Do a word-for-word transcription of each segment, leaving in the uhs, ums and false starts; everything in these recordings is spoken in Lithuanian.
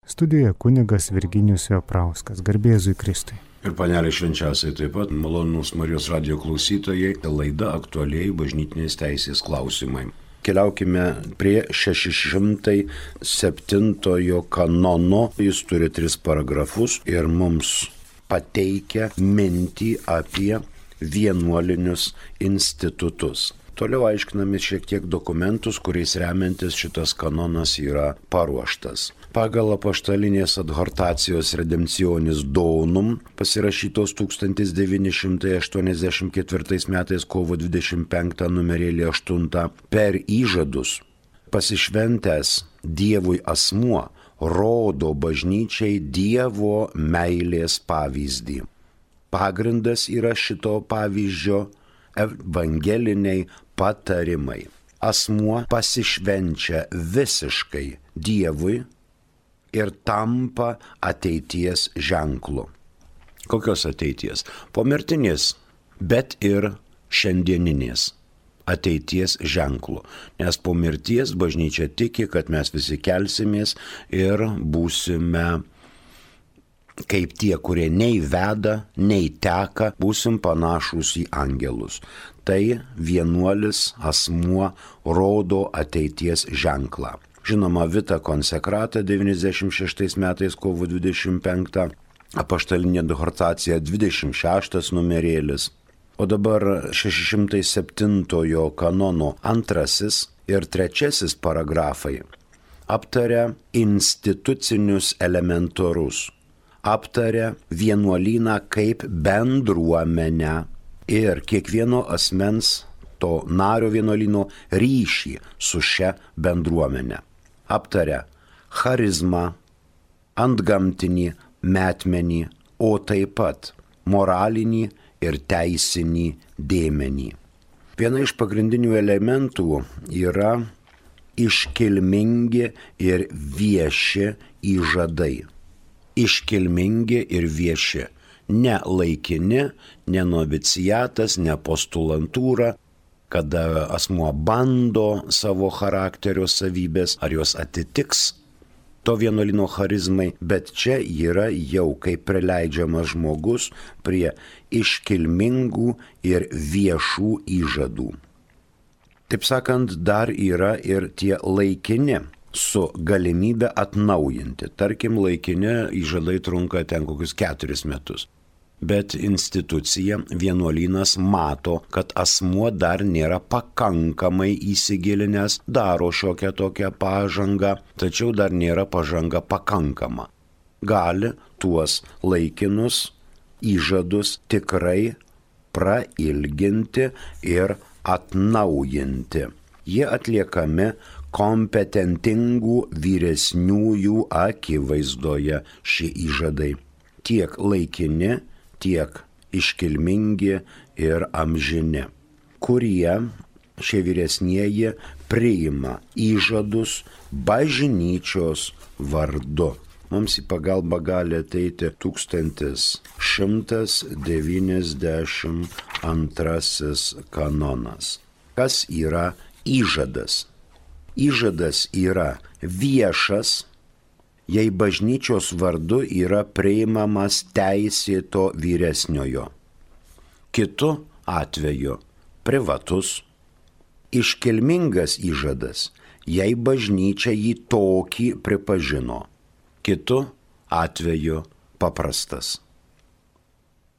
Studijoje kunigas Virginijus Joprauskas. Garbė Jėzui Kristui. Ir panelė švenčiausiai taip pat, malonūs Marijos radijo klausytojai, laida aktualiai bažnytinės teisės klausimai. Keliaukime prie šeši šimtai septintojo kanono. Jis turi tris paragrafus ir mums pateikia mintį apie vienuolinius institutus. Toliau aiškiname šiek tiek dokumentus, kuriais remiantis šitas kanonas yra paruoštas. Pagal apaštalinės adhortacijos Redemptionis Donum, pasirašytos tūkstantis devyni šimtai aštuoniasdešimt ketvirtais metais kovo dvidešimt penktą numerėlį aštuntą, per įžadus pasišventęs Dievui asmuo rodo bažnyčiai Dievo meilės pavyzdį. Pagrindas yra šito pavyzdžio evangeliniai patarimai. Asmuo pasišvenčia visiškai Dievui ir tampa ateities ženklu. Kokios ateities? Pomirtinės, bet ir šiandieninės ateities ženklu. Nes po mirties bažnyčia tiki, kad mes visi kelsimės ir būsime kaip tie, kurie nei veda, nei teka, būsim panašus į angelus. Tai vienuolis asmuo rodo ateities ženklą. Žinoma, Vita Konsekrata devyniasdešimt šeštais metais kovo dvidešimt penktą, apaštalinė adhortacija dvidešimt šeštas numerėlis. O dabar šeši šimtai septintojo kanono antrasis ir trečiasis paragrafai aptaria institucinius elementarus. Aptaria vienuolyną kaip bendruomenę ir kiekvieno asmens to nario vienuolyno ryšį su šia bendruomenė. Aptaria charizmą, antgamtinį, metmenį, o taip pat moralinį ir teisinį dėmenį. Viena iš pagrindinių elementų yra iškilmingi ir vieši įžadai. Iškilmingi ir vieši, ne laikini, ne noviciatas, ne postulantūra, kada asmuo bando savo charakterio savybės, ar jos atitiks to vienuolyno charizmai, bet čia yra jau kaip prileidžiamas žmogus prie iškilmingų ir viešų įžadų. Taip sakant, dar yra ir tie laikini, su galimybė atnaujinti. Tarkim, laikini įžadai trunka ten kokius keturis metus. Bet institucija, vienuolynas mato, kad asmuo dar nėra pakankamai įsigilinęs, daro šiokią tokią pažangą, tačiau dar nėra pažanga pakankama. Gali tuos laikinus įžadus tikrai prailginti ir atnaujinti. Jie atliekami kompetentingų vyresniųjų akivaizdoje šie įžadai. Tiek laikini, tiek iškilmingi ir amžini, kurie šie vyresnieji priima įžadus bažnyčios vardu. Mums į pagalbą gali ateiti tūkstantis šimtas devyniasdešimt antrasis kanonas. Kas yra įžadas? Įžadas yra viešas, jei bažnyčios vardu yra priimamas teisėto vyresniojo. Kitu atveju privatus, iškilmingas įžadas, jei bažnyčia jį tokį pripažino. Kitu atveju paprastas.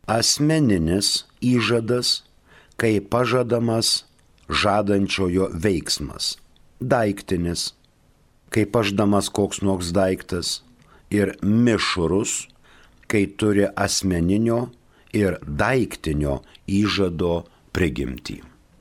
Asmeninis įžadas, kai pažadamas žadančiojo veiksmas. Daiktinis, kai paždamas koks nors daiktas, ir mišrus, kai turi asmeninio ir daiktinio įžado prigimtį.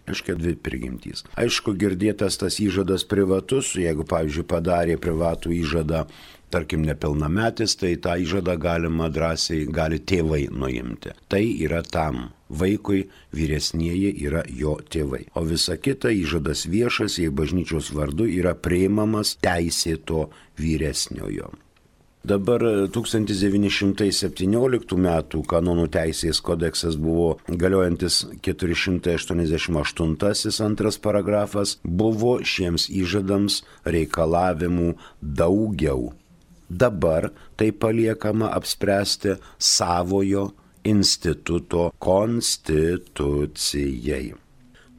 Aiškia, dvi prigimtys. Aišku, girdėtas tas įžadas privatus, jeigu, pavyzdžiui, padarė privatų įžadą, tarkim, nepilnametis, tai tą įžadą galima drąsiai, gali tėvai nuimti. Tai yra tam vaikui, vyresnieji yra jo tėvai. O visa kita įžadas viešas, jei bažnyčios vardu yra priimamas teisėto vyresniojo. Dabar tūkstantis devyni šimtai septynioliktų metų kanonų teisės kodeksas buvo galiojantis keturi šimtai aštuoniasdešimt aštuntasis antras paragrafas, buvo šiems įžadams reikalavimų daugiau. Dabar tai paliekama apspręsti savojo instituto konstitucijai.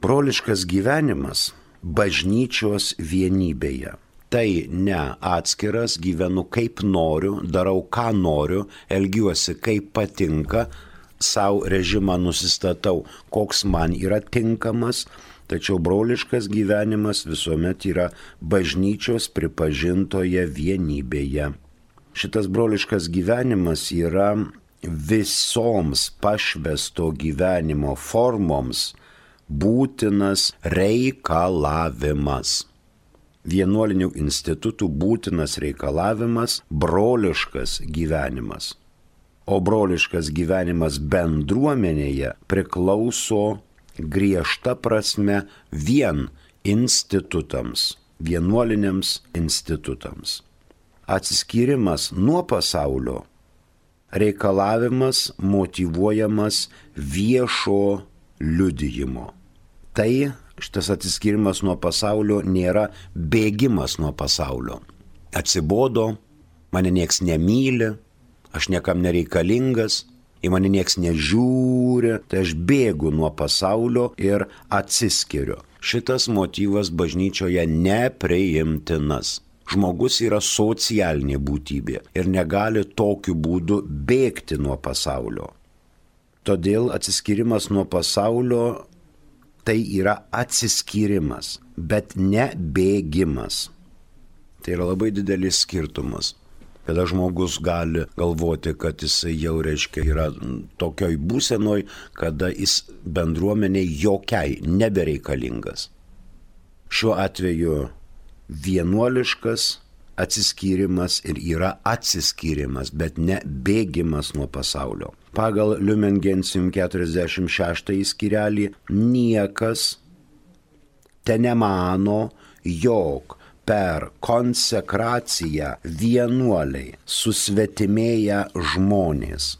Broliškas gyvenimas bažnyčios vienybėje. Tai ne atskiras, gyvenu kaip noriu, darau ką noriu, elgiuosi kaip patinka, savo režimą nusistatau, koks man yra tinkamas, tačiau broliškas gyvenimas visuomet yra bažnyčios pripažintoje vienybėje. Šitas broliškas gyvenimas yra visoms pašvęsto gyvenimo formoms būtinas reikalavimas. Vienuolinių institutų būtinas reikalavimas broliškas gyvenimas. O broliškas gyvenimas bendruomenėje priklauso griežta prasme vien institutams, vienuoliniams institutams. Atsiskyrimas nuo pasaulio reikalavimas motyvuojamas viešo liudijimo. Tai šitas atsiskyrimas nuo pasaulio nėra bėgimas nuo pasaulio. Atsibodo, mane nieks nemyli, aš niekam nereikalingas, į mane nieks nežiūri, tai aš bėgu nuo pasaulio ir atsiskiriu. Šitas motyvas bažnyčioje nepriimtinas. Žmogus yra socialinė būtybė ir negali tokiu būdu bėgti nuo pasaulio. Todėl atsiskyrimas nuo pasaulio tai yra atsiskyrimas, bet ne bėgimas. Tai yra labai didelis skirtumas. Kada žmogus gali galvoti, kad jisai jau reiškia yra tokioj būsenoj, kada jis bendruomeniai jokiai nebereikalingas. Šiuo atveju vienuoliškas atsiskyrimas ir yra atsiskyrimas, bet ne bėgimas nuo pasaulio. Pagal Lumen Gentium keturiasdešimt šeštąjį skyrelį niekas tenemano, jog per konsekraciją vienuoliai susvetimėję žmonės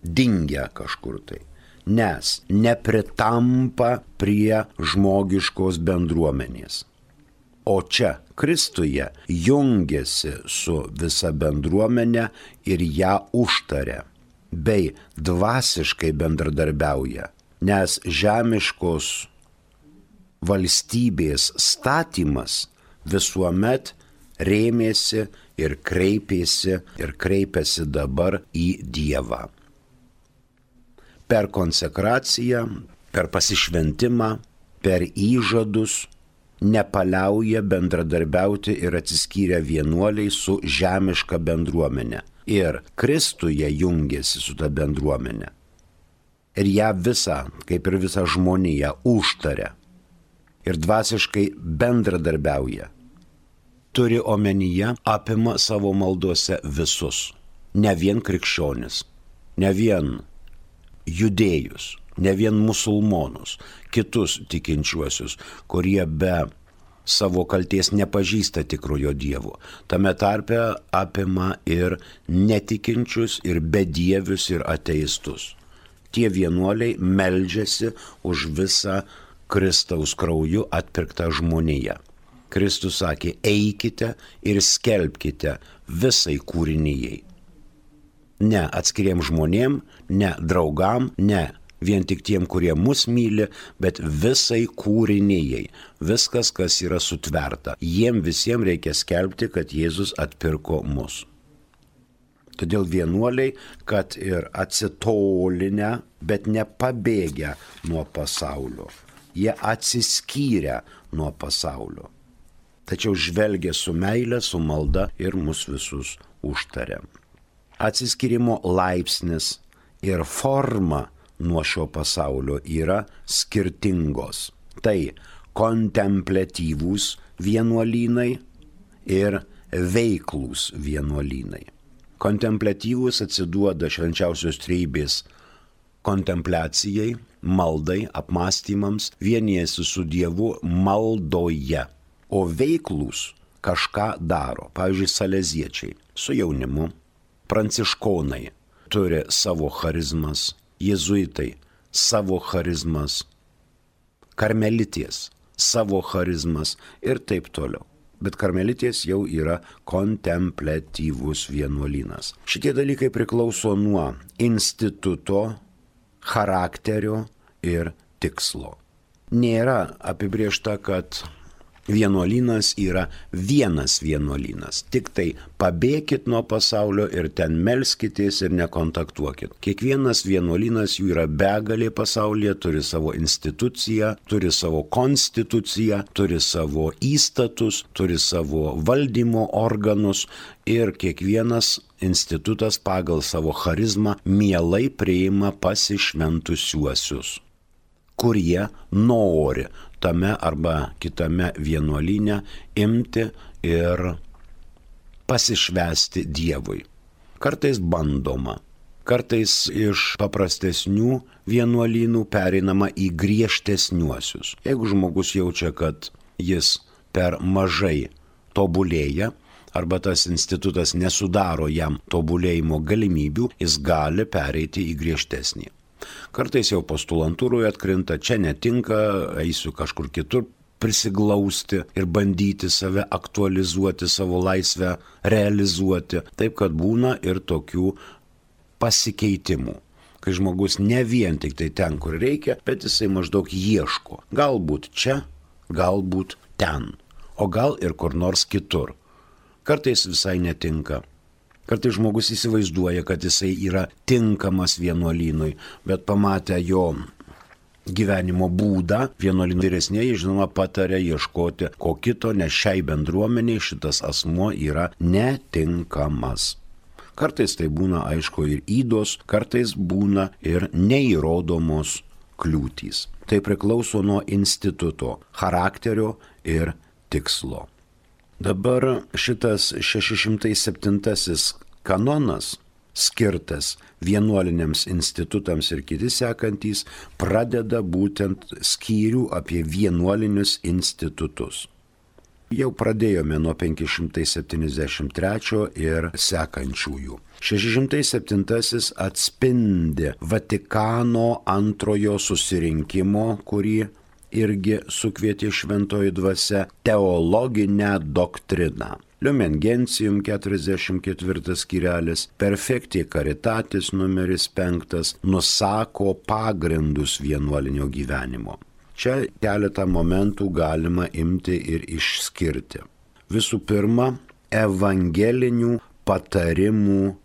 dingia kažkur tai, nes nepritampa prie žmogiškos bendruomenės. O čia Kristuje jungiasi su visa bendruomenė ir ją užtaria, bei dvasiškai bendradarbiauja, nes žemiškos valstybės statymas visuomet rėmėsi ir kreipėsi ir kreipiasi dabar į Dievą. Per konsekraciją, per pasišventimą, per įžadus nepaliauja bendradarbiauti ir atsiskyrę vienuoliai su žemiška bendruomenė. Ir Kristuje jungiasi su ta bendruomenė. Ir ją visą, kaip ir visą žmoniją, užtaria. Ir dvasiškai bendradarbiauja. Turi omenyje, apima savo maldose visus. Ne vien krikščionis, ne vien judėjus, ne vien musulmonus, kitus tikinčiuosius, kurie be savo kalties nepažįsta tikrojo Dievo. Tame tarpe apima ir netikinčius, ir bedievius, ir ateistus. Tie vienuoliai meldžiasi už visą Kristaus krauju atpirktą žmoniją. Kristus sakė, eikite ir skelbkite visai kūrinijai. Ne atskiriem žmonėm, ne draugam, ne vien tik tiem, kurie mus myli, bet visai kūrinijai. Viskas, kas yra sutverta. Jiem visiems reikia skelbti, kad Jėzus atpirko mus. Todėl vienuoliai, kad ir atsitolinę, bet nepabėgę nuo pasaulio. Jie atsiskyrę nuo pasaulio. Tačiau žvelgia su meile, su malda ir mus visus užtaria. Atsiskyrimo laipsnis ir forma nuo šio pasaulio yra skirtingos. Tai kontempliatyvūs vienuolynai ir veiklūs vienuolynai. Kontempliatyvūs atsiduoda švenčiausios trejybės kontempliacijai, maldai, apmąstymams, vienijasi su Dievu maldoje. O veiklūs kažką daro. Pavyzdžiui, saleziečiai su jaunimu, pranciškonai turi savo charizmas, jėzuitai savo charizmas, karmelitės savo charizmas ir taip toliau. Bet karmelitės jau yra kontempliatyvus vienuolynas. Šitie dalykai priklauso nuo instituto, charakterio ir tikslo. Nėra apibriešta, kad vienuolynas yra vienas vienuolynas. Tik tai pabėkit nuo pasaulio ir ten melskitės ir nekontaktuokit. Kiekvienas vienuolynas jų yra begalė pasaulyje, turi savo instituciją, turi savo konstituciją, turi savo įstatus, turi savo valdymo organus ir kiekvienas institutas pagal savo charizmą mielai priima pasišventusiuosius, kurie nori tame arba kitame vienuolyne imti ir pasišvęsti Dievui. Kartais bandoma, kartais iš paprastesnių vienuolynų pereinama į griežtesniuosius. Jeigu žmogus jaučia, kad jis per mažai tobulėja, arba tas institutas nesudaro jam tobulėjimo galimybių, jis gali pereiti į griežtesnį. Kartais jau postulantūroje atkrinta, čia netinka, eisiu kažkur kitur prisiglausti ir bandyti save aktualizuoti, savo laisvę realizuoti. Taip, kad būna ir tokių pasikeitimų, kai žmogus ne vien tik tai ten, kur reikia, bet jisai maždaug ieško. Galbūt čia, galbūt ten, o gal ir kur nors kitur. Kartais visai netinka. Kartais žmogus įsivaizduoja, kad jisai yra tinkamas vienuolynui, bet pamatę jo gyvenimo būdą, vienuolynų vyresnieji, žinoma, patarė ieškoti ko kito, nes šiai bendruomeniai šitas asmuo yra netinkamas. Kartais tai būna, aišku, ir ydos, kartais būna ir neįrodomos kliūtys. Tai priklauso nuo instituto, charakterio ir tikslo. Dabar šitas šeši šimtai septintasis kanonas, skirtas vienuoliniams institutams ir kiti sekantys, pradeda būtent skyrių apie vienuolinius institutus. Jau pradėjome nuo penki šimtai septyniasdešimt trečio ir sekančiųjų. šeši šimtai septintasis atspindi Vatikano antrojo susirinkimo, kurį irgi sukvietė šventoji dvasia, teologinę doktriną. Lumen Gentium keturiasdešimt ketvirtas skyrelis, Perfecti Caritatis numeris penktas nusako pagrindus vienuolinio gyvenimo. Čia keletą momentų galima imti ir išskirti. Visų pirma, evangelinių patarimų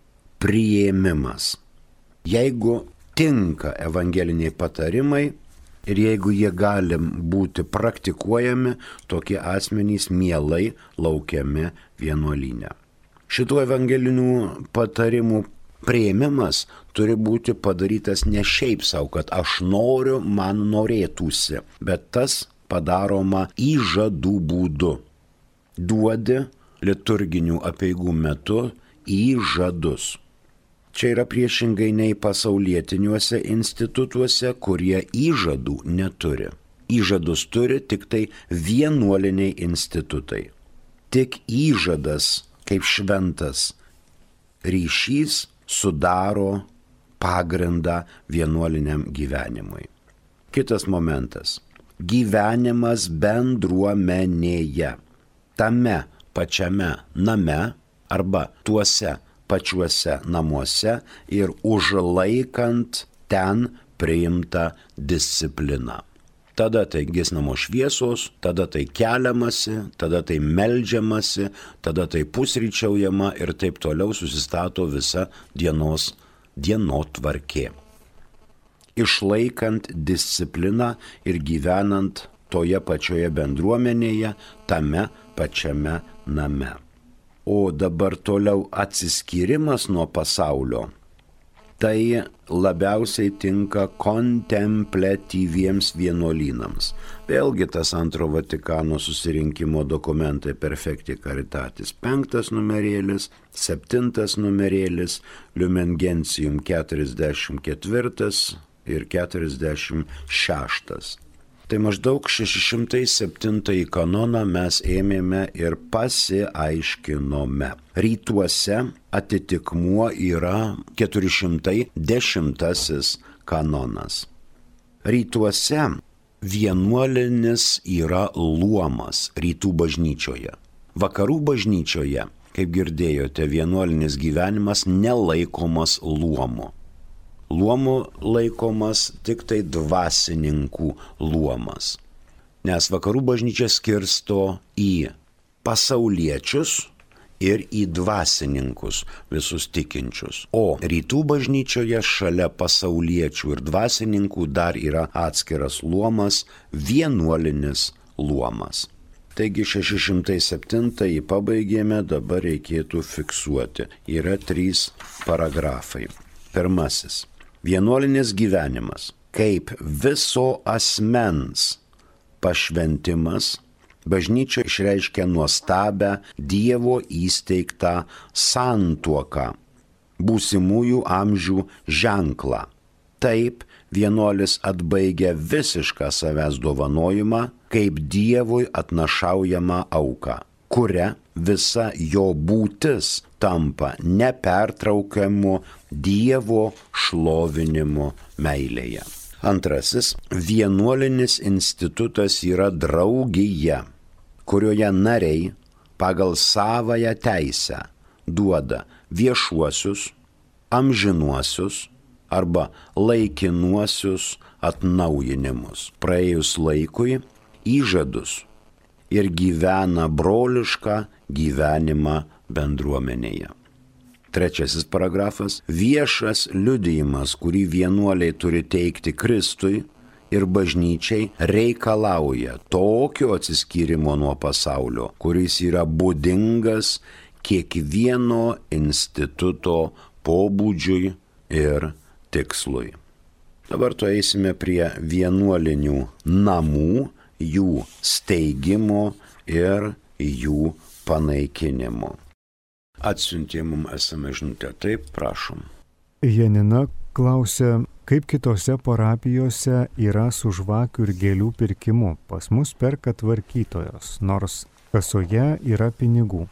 priėmimas. Jeigu tinka evangeliniai patarimai, ir jeigu jie gali būti praktikuojami, tokie asmenys mielai laukiami vienuolyne. Šitų evangelinių patarimų priėmimas turi būti padarytas ne šiaip savo, kad aš noriu, man norėtųsi, bet tas padaroma įžadų būdu. Duodi liturginių apeigų metu įžadus. Čia yra priešingai nei pasaulietiniuose institutuose, kurie įžadų neturi. Įžadus turi tik tai vienuoliniai institutai. Tik įžadas kaip šventas ryšys sudaro pagrindą vienuoliniam gyvenimui. Kitas momentas. Gyvenimas bendruomenėje. Tame pačiame name arba tuose pačiuose namuose ir užlaikant ten priimtą discipliną. Tada tai giesnamo šviesos, tada tai keliamasi, tada tai meldžiamasi, tada tai pusryčiaujama ir taip toliau susistato visa dienos dienotvarkė. Išlaikant discipliną ir gyvenant toje pačioje bendruomenėje, tame pačiame name. O dabar toliau atsiskyrimas nuo pasaulio, tai labiausiai tinka kontempliatyviems vienuolynams. Vėlgi tas antro Vatikano susirinkimo dokumentai Perfecti Caritatis penktas numerėlis, septintas numerėlis, Lumen Gentium keturiasdešimt ketvirtas ir keturiasdešimt šeštas. Tai maždaug šeši šimtai septintąjį kanoną mes ėmėme ir pasiaiškinome. Rytuose atitikmuo yra keturi šimtai dešimtasis kanonas. Rytuose vienuolinis yra luomas rytų bažnyčioje. Vakarų bažnyčioje, kaip girdėjote, vienuolinis gyvenimas nelaikomas luomu. Luomu laikomas tik tai dvasininkų luomas. Nes vakarų bažnyčia skirsto į pasauliečius ir į dvasininkus, visus tikinčius. O rytų bažnyčioje šalia pasauliečių ir dvasininkų dar yra atskiras luomas, vienuolinis luomas. Taigi šeši šimtai septyni pabaigėme, dabar reikėtų fiksuoti. Yra trys paragrafai. Pirmasis. Vienuolinis gyvenimas kaip viso asmens pašventimas. Bažnyčia išreiškia nuostabę Dievo įsteigtą santuoką, būsimųjų amžių ženklą. Taip vienuolis atbaigia visišką savęs dovanojimą kaip Dievui atnašaujamą auką, kuria visa jo būtis tampa nepertraukiamu Dievo šlovinimu meilėje. Antrasis. Vienuolinis institutas yra draugija, kurioje nariai pagal savąją teisę duoda viešuosius, amžinuosius arba laikinuosius atnaujinimus praėjus laikui, įžadus ir gyvena brolišką gyvenimą bendruomenėje. Trečiasis paragrafas. Viešas liudijimas, kurį vienuoliai turi teikti Kristui ir bažnyčiai, reikalauja tokio atsiskyrimo nuo pasaulio, kuris yra būdingas kiekvieno instituto pobūdžiui ir tikslui. Dabar tu eisime prie vienuolinių namų, jų steigimo ir jų panaikinimo. Atsiuntė mums esame žinutę. Taip, prašom. Janina klausia, kaip kitose parapijose yra su žvakių ir gėlių pirkimu. Pas mus perka tvarkytojos, nors kasoje yra pinigų.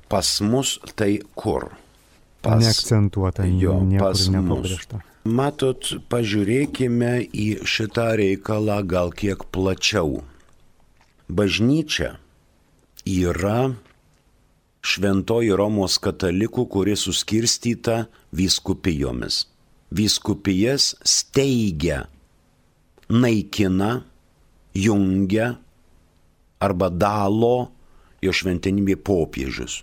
Pas mus tai kur? Pas... Neakcentuota, jo, niekur nepabrėžta. Matot, pažiūrėkime į šitą reikalą gal kiek plačiau. Bažnyčia yra Šventoji Romos katalikų, kuri suskirstyta vyskupijomis. Vyskupijas steigia, naikina, jungia arba dalo jo šventenybė popiežius.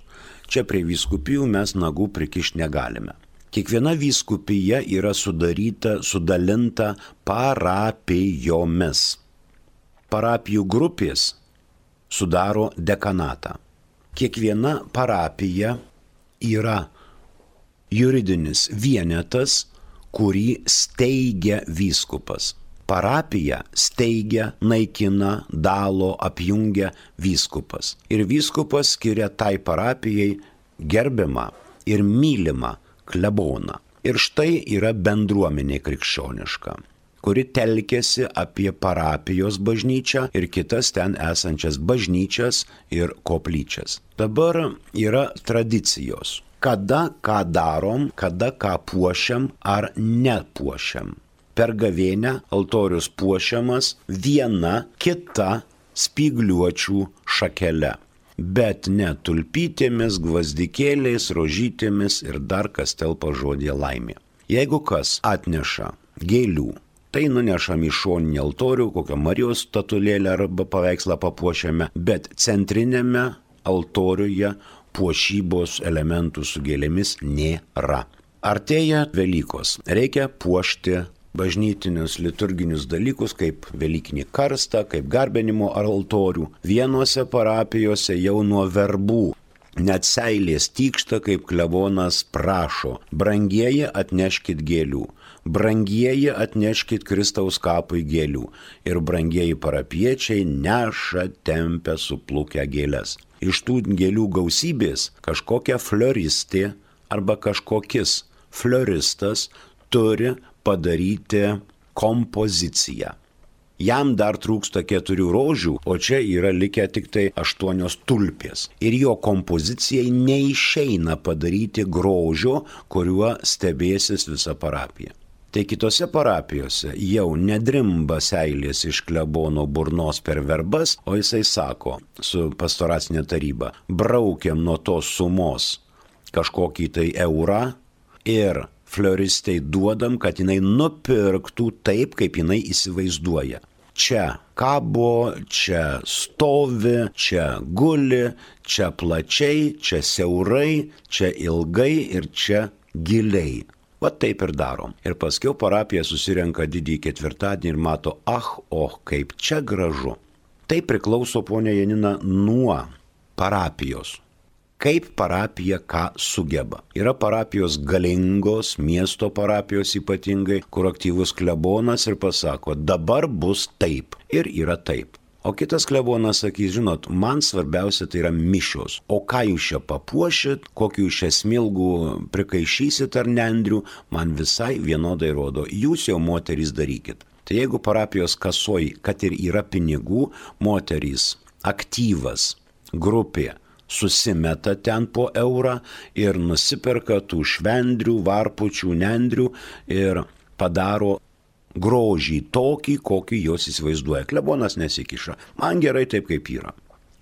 Čia prie vyskupijų mes nagų prikišti negalime. Kiekviena vyskupija yra sudaryta, sudalinta parapijomis. Parapijų grupės sudaro dekanatą. Kiekviena parapija yra juridinis vienetas, kurį steigia vyskupas. Parapiją steigia, naikina, dalo, apjungia vyskupas. Ir vyskupas skiria tai parapijai gerbiamą ir mylimą kleboną. Ir štai yra bendruomenė krikščioniška, kuri telkėsi apie parapijos bažnyčią ir kitas ten esančias bažnyčias ir koplyčias. Dabar yra tradicijos. Kada ką darom, kada ką puošiam ar nepuošiam. Per gavėnią altorius puošiamas viena kita spygliuočių šakele, bet ne tulpytėmis, gvazdikėliais, rožytėmis ir dar kas telpa žodė laimė. Jeigu kas atneša gėlių, tai nunešam į šoninį altorių, kokią Marijos statulėlę arba paveikslą papuošiame, bet centrinėme altoriuje puošybos elementų su gėlėmis nėra. Artėja Velykos. Reikia puošti bažnytinius liturginius dalykus, kaip Velykinį karstą, kaip garbinimo altorių. Vienose parapijose jau nuo verbų net seilės tykšta, kaip klebonas prašo: brangieji, atneškit gėlių. Brangieji, atneškit Kristaus kapui gėlių. Ir brangieji parapiečiai neša, tempia suplukę gėles. Iš tų gėlių gausybės kažkokia floristė arba kažkokis floristas turi padaryti kompoziciją. Jam dar trūksta keturių rožių, o čia yra likę tik tai aštuonios tulpės. Ir jo kompozicijai neišeina padaryti grožio, kuriuo stebėsis visa parapija. Tai kitose parapijose jau nedrimba seilės iš klebono burnos per verbas, o jisai sako su pastoracinė taryba, braukiam nuo tos sumos kažkokį tai eurą ir fleuristai duodam, kad jinai nupirktų taip, kaip jinai įsivaizduoja. Čia kabo, čia stovi, čia guli, čia plačiai, čia siaurai, čia ilgai ir čia giliai. Va taip ir darom. Ir paskiau parapija susirenka didįjį ketvirtadienį ir mato, ah, oh, kaip čia gražu. Tai priklauso, ponia Janina, nuo parapijos. Kaip parapija ką sugeba. Yra parapijos galingos, miesto parapijos ypatingai, kur aktyvus klebonas ir pasako, dabar bus taip. Ir yra taip. O kitas klebonas sakys, žinot, man svarbiausia tai yra mišios. O ką jūs čia papuošit, kokių jūs čia smilgų prikaišysit ar nendrių, man visai vienodai rodo. Jūs jau moterys darykit. Tai jeigu parapijos kasoj, kad ir yra pinigų, moterys, aktyvas, grupė, susimeta ten po eurą ir nusiperka tų švendrių, varpučių, nendrių ir padaro grožį tokį, kokį jos įsivaizduoja. Klebonas nesikiša. Man gerai taip, kaip yra.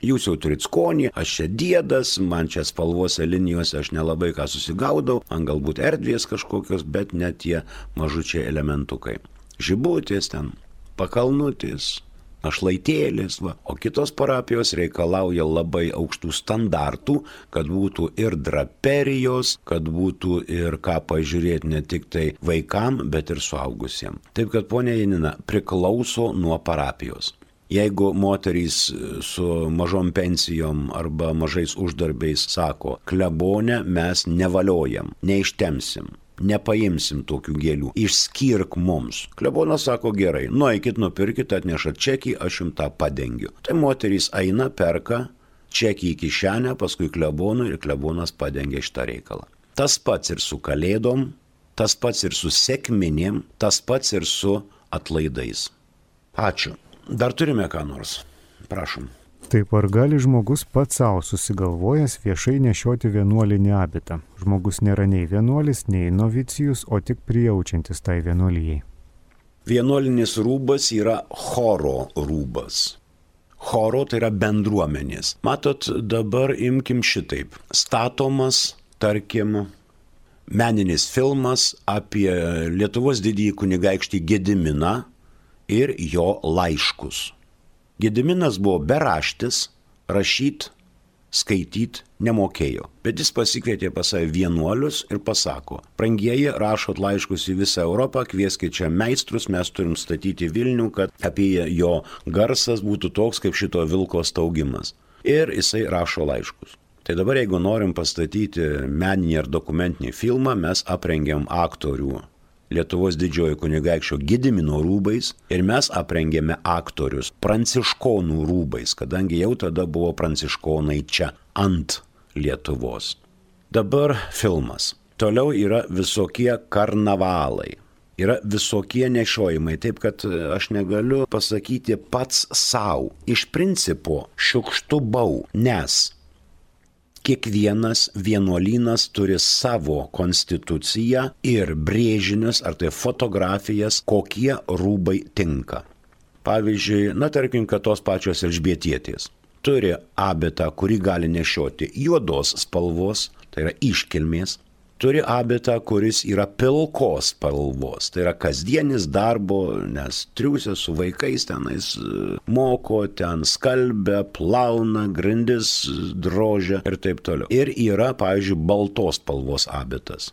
Jūs jau turit skonį, aš čia diedas, man čia spalvose linijose aš nelabai ką susigaudau, man galbūt erdvės kažkokios, bet net tie mažučiai elementukai. Žibutės ten, pakalnutis, našlaitėlis, va. O kitos parapijos reikalauja labai aukštų standartų, kad būtų ir draperijos, kad būtų ir ką pažiūrėti ne tik tai vaikam, bet ir suaugusiems. Taip kad, ponia Janina, priklauso nuo parapijos. Jeigu moterys su mažom pensijom arba mažais uždarbiais sako, klebone mes nevaliojam, neištemsim, nepaimsim tokių gėlių, išskirk mums. Klebonas sako, gerai, nueikit, nupirkit, atnešat čekį, aš jums tą padengiu. Tai moterys eina, perka čekį į kišenę, paskui klebonui ir klebonas padengia šitą reikalą. Tas pats ir su kalėdom, tas pats ir su sekminėm, tas pats ir su atlaidais. Ačiū. Dar turime ką nors. Prašom. Taip, ar gali žmogus pats savo susigalvojęs viešai nešioti vienuolinį abitą? Žmogus nėra nei vienuolis, nei novicijus, o tik prijaučiantis tai vienuolijai. Vienuolinis rūbas yra choro rūbas. Choro tai yra bendruomenės. Matot, dabar imkim šitaip. Statomas, tarkim, meninis filmas apie Lietuvos didįjį kunigaikštį Gediminą ir jo laiškus. Gediminas buvo beraštis, rašyt, skaityt nemokėjo, bet jis pasikvietė pas save vienuolius ir pasako, brangieji, rašot laiškus į visą Europą, kvieskit čia meistrus, mes turim statyti Vilnių, kad apie jo garsas būtų toks kaip šito vilko staugimas. Ir jisai rašo laiškus. Tai dabar, jeigu norim pastatyti meninį ar dokumentinį filmą, mes aprengiam aktorių Lietuvos didžiojo kunigaikščio Gedimino rūbais ir mes aprengėme aktorius pranciškonų rūbais, kadangi jau tada buvo pranciškonai čia ant Lietuvos. Dabar filmas. Toliau yra visokie karnavalai. Yra visokie nešiojimai, taip kad aš negaliu pasakyti pats savo. Iš principo šiukštubau, nes kiekvienas vienuolynas turi savo konstituciją ir brėžinius, ar tai fotografijas, kokie rūbai tinka. Pavyzdžiui, na tarkim, kad tos pačios Elžbietietės turi abitą, kurį gali nešioti juodos spalvos, tai yra iškilmės, turi abitą, kuris yra pilkos spalvos, tai yra kasdienis darbo, nes triūsia su vaikais tenais moko, ten skalbia, plauna, grindis drožia ir taip toliau. Ir yra, pavyzdžiui, baltos spalvos abitas.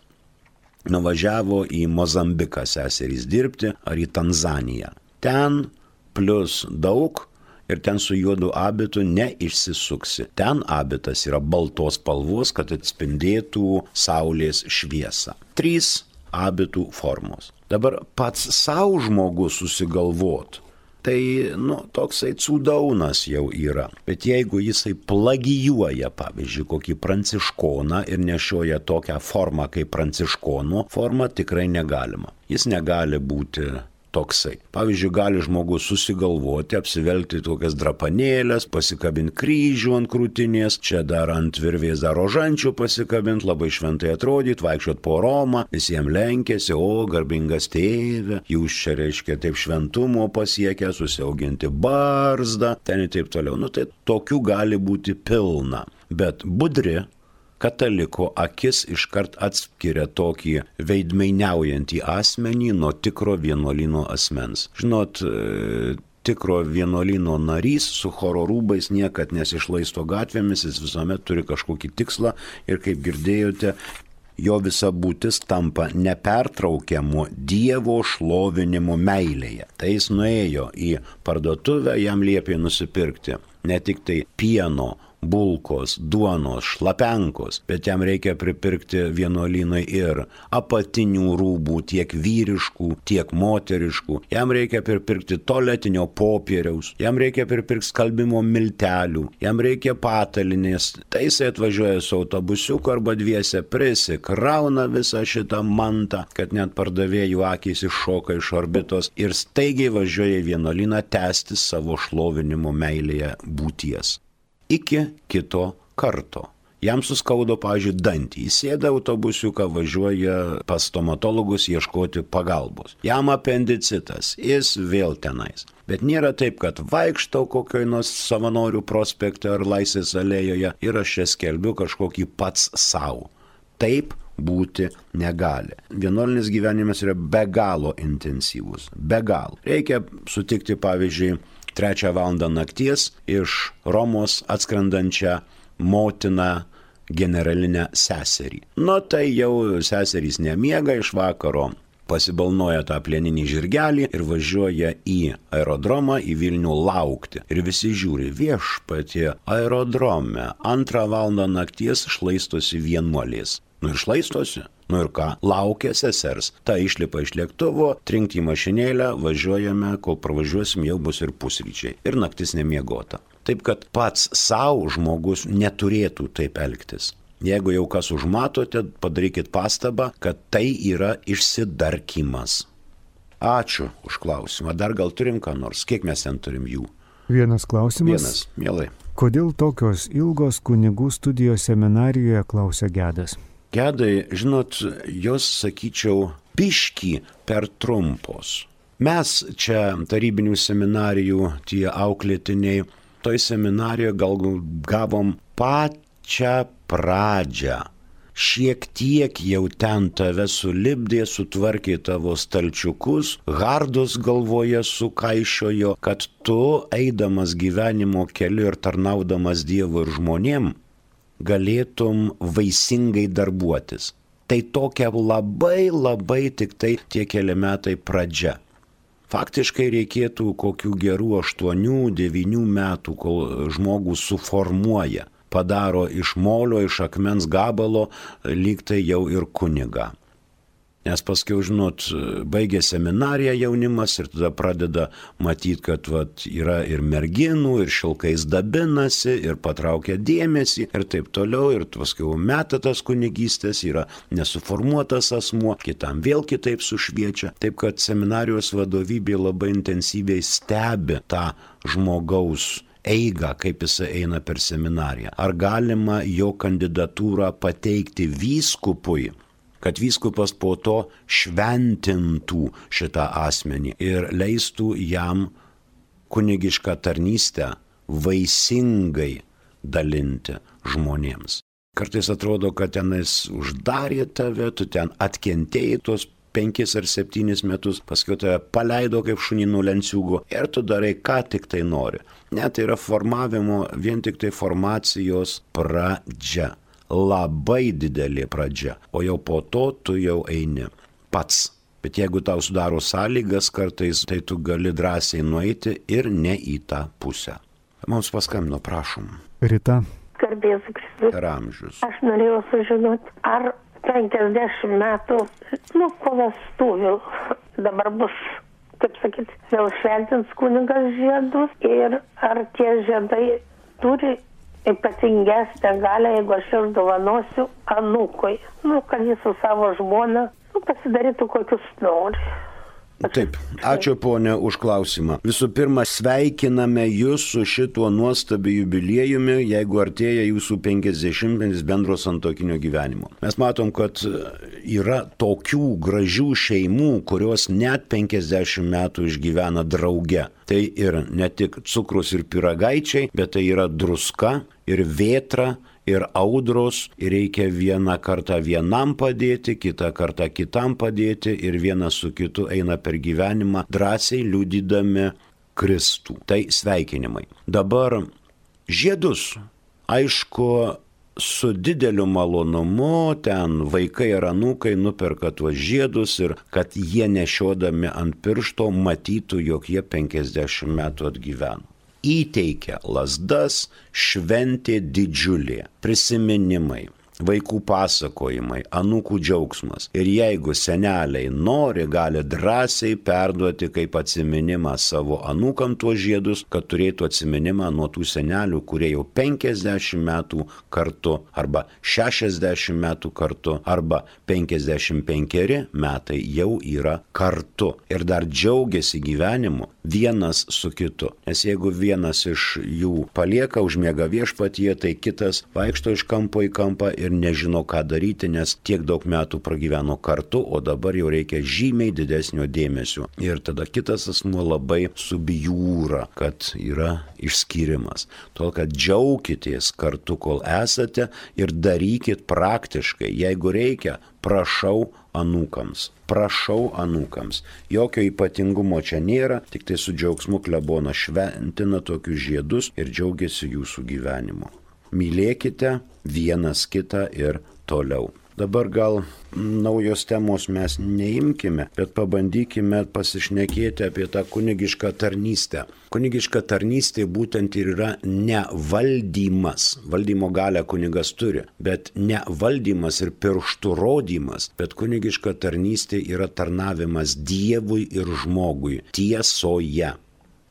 Nuvažiavo į Mozambiką seserys dirbti ar į Tanzaniją. Ten plus daug ir ten su juodu abitu neišsisuksi. Ten abitas yra baltos spalvos, kad atspindėtų saulės šviesą. Trys abitų formos. Dabar pats savo žmogus susigalvot, tai, nu, toksai cūdaunas jau yra. Bet jeigu jisai plagijuoja, pavyzdžiui, kokį pranciškoną ir nešioja tokią formą kaip pranciškono forma, tikrai negalima. Jis negali būti toksai. Pavyzdžiui, gali žmogus susigalvoti, apsivelti tokias drapanėlės, pasikabinti kryžių ant krūtinės, čia dar ant virvės dar rožančių pasikabinti, labai šventai atrodyti, vaikščiot po Romą, visiems lenkėsi, o garbingas tėve, jūs čia reiškia taip šventumo pasiekę, susiauginti barzdą, ten ir taip toliau. Nu tai tokių gali būti pilna, bet budri kataliko akis iškart atskiria tokį veidmainiaujantį asmenį nuo tikro vienuolyno asmens. Žinot, tikro vienuolyno narys su choro rūbais niekad nesišlaisto gatvėmis, jis visuomet turi kažkokį tikslą ir kaip girdėjote, jo visa būtis tampa nepertraukiamu Dievo šlovinimu meilėje. Tai jis nuėjo į parduotuvę, jam liepė nusipirkti ne tik tai pieno, bulkos, duonos, šlapenkos, bet jam reikia pripirkti vienuolynui ir apatinių rūbų, tiek vyriškų, tiek moteriškų. Jam reikia pripirkti tualetinio popieriaus, jam reikia pripirkti skalbimo miltelių, jam reikia patalinės. Tai jisai atvažiuoja su autobusiuku arba dviese, prisikrauna visą šitą mantą, kad net pardavėjų akys iššoka iš orbitos ir staigiai važiuoja į vienuolyną tęsti savo šlovinimo meilėje būties. Iki kito karto. Jam suskaudo, pavyzdžiui, dantį. Jis sėda autobusiuką, važiuoja pas stomatologus ieškoti pagalbos. Jam apendicitas, jis vėl tenais. Bet nėra taip, kad vaikštau kokioj nors Savanorių prospekte ar Laisvės alėjoje ir aš čia skelbiu kažkokį pats savo. Taip būti negali. Vienuolinis gyvenimas yra be galo intensyvus. Be galo. Reikia sutikti, pavyzdžiui, trečią valandą nakties iš Romos atskrendančią motiną generalinę seserį. Nu tai jau seserys nemiega iš vakaro, pasibalnoja tą plieninį žirgelį ir važiuoja į aerodromą, į Vilnių laukti. Ir visi žiūri, viešpatie, aerodrome, antrą valandą nakties šlaistosi vienuolės. Nu ir šlaistosi. Nu ir ką, laukia sesers. Ta išlipa iš lėktuvo, trinkti į mašinėlę, važiuojame, kol pravažiuosim, jau bus ir pusryčiai. Ir naktis nemiegota. Taip kad pats savo žmogus neturėtų taip elgtis. Jeigu jau kas užmatote, padarykit pastabą, kad tai yra išsidarkymas. Ačiū už klausimą. Dar gal turim ką nors? Kiek mes ten turim jų? Vienas klausimas. Vienas, mielai. Kodėl tokios ilgos kunigų studijos seminarijoje, klausia Gedas? Gedai, žinot, jos, sakyčiau, biškį per trumpos. Mes čia tarybinių seminarijų, tie auklėtiniai, toj seminarijoje gal gavom pačią pradžią. Šiek tiek jau ten tave sulipdė, sutvarkė tavo stalčiukus, hardus galvoje sukaišiojo, kad tu, eidamas gyvenimo keliu ir tarnaudamas Dievui ir žmonėm, galėtum vaisingai darbuotis. Tai tokia labai labai tik tai tie keli metai pradžia. Faktiškai reikėtų kokių gerų aštuonių, devynių metų, kol žmogus suformuoja, padaro iš molio, iš akmens gabalo, lyg tai jau ir kunigą. Nes paskiau, žinot, baigia seminariją jaunimas ir tada pradeda matyti, kad vat, yra ir merginų, ir šilkais dabinasi, ir patraukia dėmesį, ir taip toliau, ir paskiau meta tas kunigystės, yra nesuformuotas asmuo, kitam vėl kitaip sušviečia. Taip kad seminarijos vadovybė labai intensyviai stebi tą žmogaus eigą, kaip jisai eina per seminariją. Ar galima jo kandidatūrą pateikti vyskupui, kad vyskupas po to šventintų šitą asmenį ir leistų jam kunigišką tarnystę vaisingai dalinti žmonėms. Kartais atrodo, kad tenais uždarė tave, tu ten atkentėjai tos penkis ar septynis metus, paskui tave paleido kaip šunį nuo lenciūgo ir tu darai, ką tik tai nori. Ne, tai yra formavimo, vien tik tai formacijos pradžia. Labai didelė pradžia, o jau po to tu jau eini pats. Bet jeigu tau sudaro sąlygas kartais, tai tu gali drąsiai nueiti ir ne į tą pusę. Mums paskambino, prašom. Rita. Garbės Kristus. Per amžius. Aš norėjau sužinoti, ar penkiasdešimt metų, nu, po vestuvių dabar bus, kaip sakyti, vėl šventins kunigas žiedus ir ar tie žiedai turi ypatingesnę galę, jeigu aš ir dovanosiu anūkui. Nu, kad jis su savo žmona nu, pasidarytų kokius nori. Taip, ačiū ponė už klausimą. Visų pirma, sveikiname jūs su šituo nuostabiu jubiliejumi, jeigu artėja jūsų penkiasdešimtmetis bendro santuokinio gyvenimo. Mes matom, kad yra tokių gražių šeimų, kurios net penkiasdešimt metų išgyvena drauge. Tai ir ne tik cukrus ir pyragaičiai, bet tai yra druska ir vėtra, ir audros, ir reikia vieną kartą vienam padėti, kitą kartą kitam padėti, ir vienas su kitu eina per gyvenimą, drąsiai liudydami Kristų. Tai sveikinimai. Dabar žiedus, aišku, su dideliu malonumu ten vaikai ir anūkai nuperka tuos žiedus ir kad jie nešiodami ant piršto matytų, jog jie penkiasdešimt metų atgyveno. Įteikia lazdas, šventė didžiulė, prisiminimai, vaikų pasakojimai, anūkų džiaugsmas. Ir jeigu seneliai nori, gali drąsiai perduoti kaip atsiminimą savo anūkam tuos žiedus, kad turėtų atsiminimą nuo tų senelių, kurie jau penkiasdešimt metų kartu, arba šešiasdešimt metų kartu, arba penkiasdešimt penkeri metai jau yra kartu. Ir dar džiaugiasi gyvenimu vienas su kitu. Nes jeigu vienas iš jų palieka, užmiega viešpatyje, tai kitas vaikšto iš kampo į kampą ir nežino, ką daryti, nes tiek daug metų pragyveno kartu, o dabar jau reikia žymiai didesnio dėmesio. Ir tada kitas asmuo labai subjūra, kad yra išskyrimas. Todėl, kad džiaukitės kartu, kol esate, ir darykit praktiškai. Jeigu reikia, prašau anūkams. Prašau anūkams. Jokio ypatingumo čia nėra, tik tai su džiaugsmu klebonas šventina tokius žiedus ir džiaugiasi jūsų gyvenimu. Mylėkite vienas kitą ir toliau. Dabar gal naujos temos mes neimkime, bet pabandykime pasišnekėti apie tą kunigišką tarnystę. Kunigiška tarnystė būtent ir yra ne valdymas. Valdymo galią kunigas turi, bet ne valdymas ir pirštų rodymas, bet kunigiška tarnystė yra tarnavimas Dievui ir žmogui tiesoje.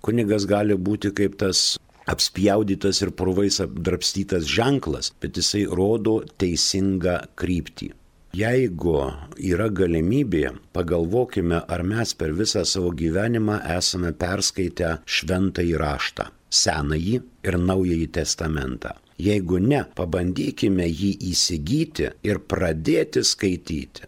Kunigas gali būti kaip tas apspjaudytas ir purvais apdrabstytas ženklas, bet jisai rodo teisingą kryptį. Jeigu yra galimybė, pagalvokime, ar mes per visą savo gyvenimą esame perskaitę šventąjį raštą, senąjį ir naująjį testamentą. Jeigu ne, pabandykime jį įsigyti ir pradėti skaityti.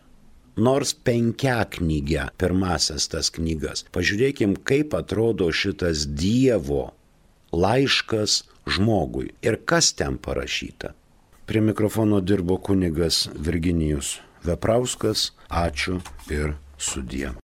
Nors penkiaknygę, pirmasias tas knygas. Pažiūrėkim, kaip atrodo šitas Dievo laiškas žmogui ir kas ten parašyta. Prie mikrofono dirbo kunigas Virginijus Veprauskas. Ačiū ir sudie.